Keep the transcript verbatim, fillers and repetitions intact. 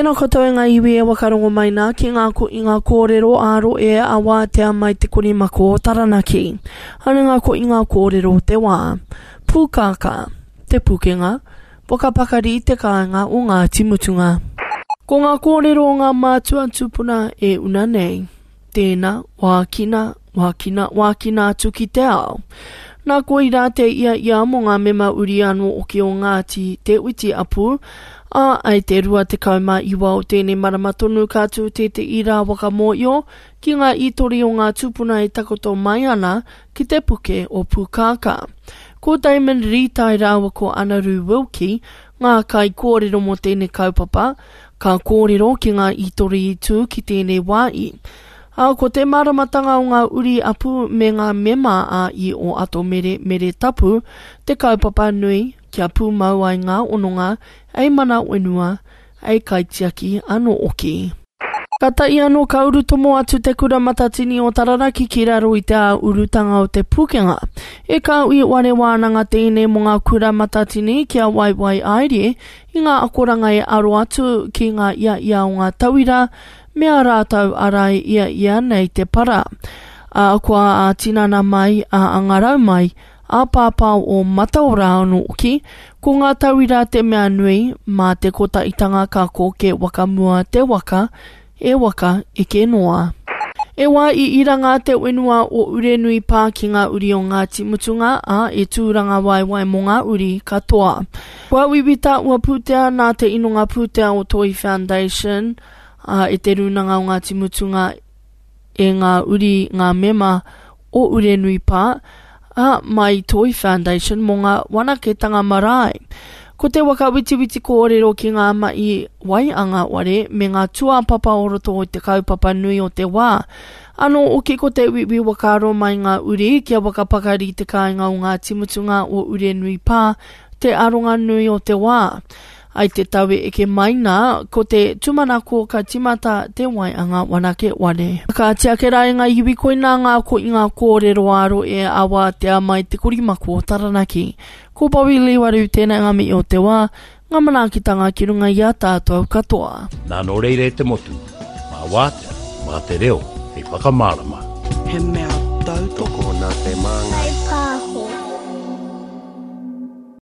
Tēnā koutou e ngā iwi e wakarongo mai nā ki ngā ko i ngā kōrero ā-roe a wātea mai te korimako o Taranaki. Ana ngā ko i ngā kōrero o te wā. Pūkākā, Te Pukenga, Whakapakari te kāinga o Ngāti Mutunga. Ko ngā kōrero o ngā mātua tūpuna e una nei. Tēnā, wākina, wākina, wākina atu ki te ao. Nā koirā te ia ia mō ngā mema uri anō oki o Ngāti Te Uiti Apu, ā, ai te rua tekau mā iwa o tēnei marama tonu ka tū tētehi rā whakamōio ki ngā ītori o ngā tūpuna e takoto mai ana ki te puke o Pūkākā. Ko Damon Rītai rāua ko Anaru Wilkie ngā kaikōrero mō tēnei kaupapa, ka kōrero ki ngā ītori i tū ki tēnei wā i. Ā, ko te māramatanga o ngā uri apu me ngā mema ā-i o Ato Mere Mere Tapu te kaupapa nui kia pūmau ai ngā hononga ei mana whenua, ei kaitiaki anō hoki. Kātahi anō ka urutomo atu te Kura Matatini o Taranaki ki raro i te ā-urutanga o Te Pūkenga. E kāhui whare wānanga tēnei mō ngā kura matatini kia waiwai aere i ngā akoranga e aro atu ki ngā iaia o ngā tauira me ā rātou arai ia ia nei te para. Ā, kua ā-tinana mai, ā-angarau mai, ā-pāpā o mataora anō hoki, ko ngā tauira te mea nui, mā te kotahitanga ka koke whakamua te waka, e waka eke noa. E wā i iranga te whenua o Urenui Pā ki ngā uri o Ngāti Mutunga, ā, e tūranga waewae mō ngā uri katoa. Kua wiwita ua pūtea nā te inonga pūtea o Toi Foundation, ā, e Te Rūnanga o Ngāti Mutunga, e ngā uri, ngā mema o Urenui Pā, ā, mai Toi Foundation mō ngā wanaketanga marae. Ko te waka witiwiti kōrero ki ngā mahi wai a ngā ware me ngā tūāpapa o roto o te kaupapa nui o te wā. Anō hoki ko te uiui whakaaro mai ngā uri kia whakapakari te kāinga o Ngāti Mutunga o Urenui Pā te aronga nui o te wā. Ai te tau e eke mai nā, ko te tumanako ka timata te waianga wanake ware. Ka tiake rā e ngā iwi koinā ngā ko i ngā kōrero āro e awātea mai te korimako o Taranaki. Ko Bobby Liwaru tēnei ngā mihi o te wā, ngā manaakitanga ki runga i a tātou katoa. Nā nō reira e te motu, mā wātea, mā te reo hei whakamārama. He mea tautoko Tokona te māngai.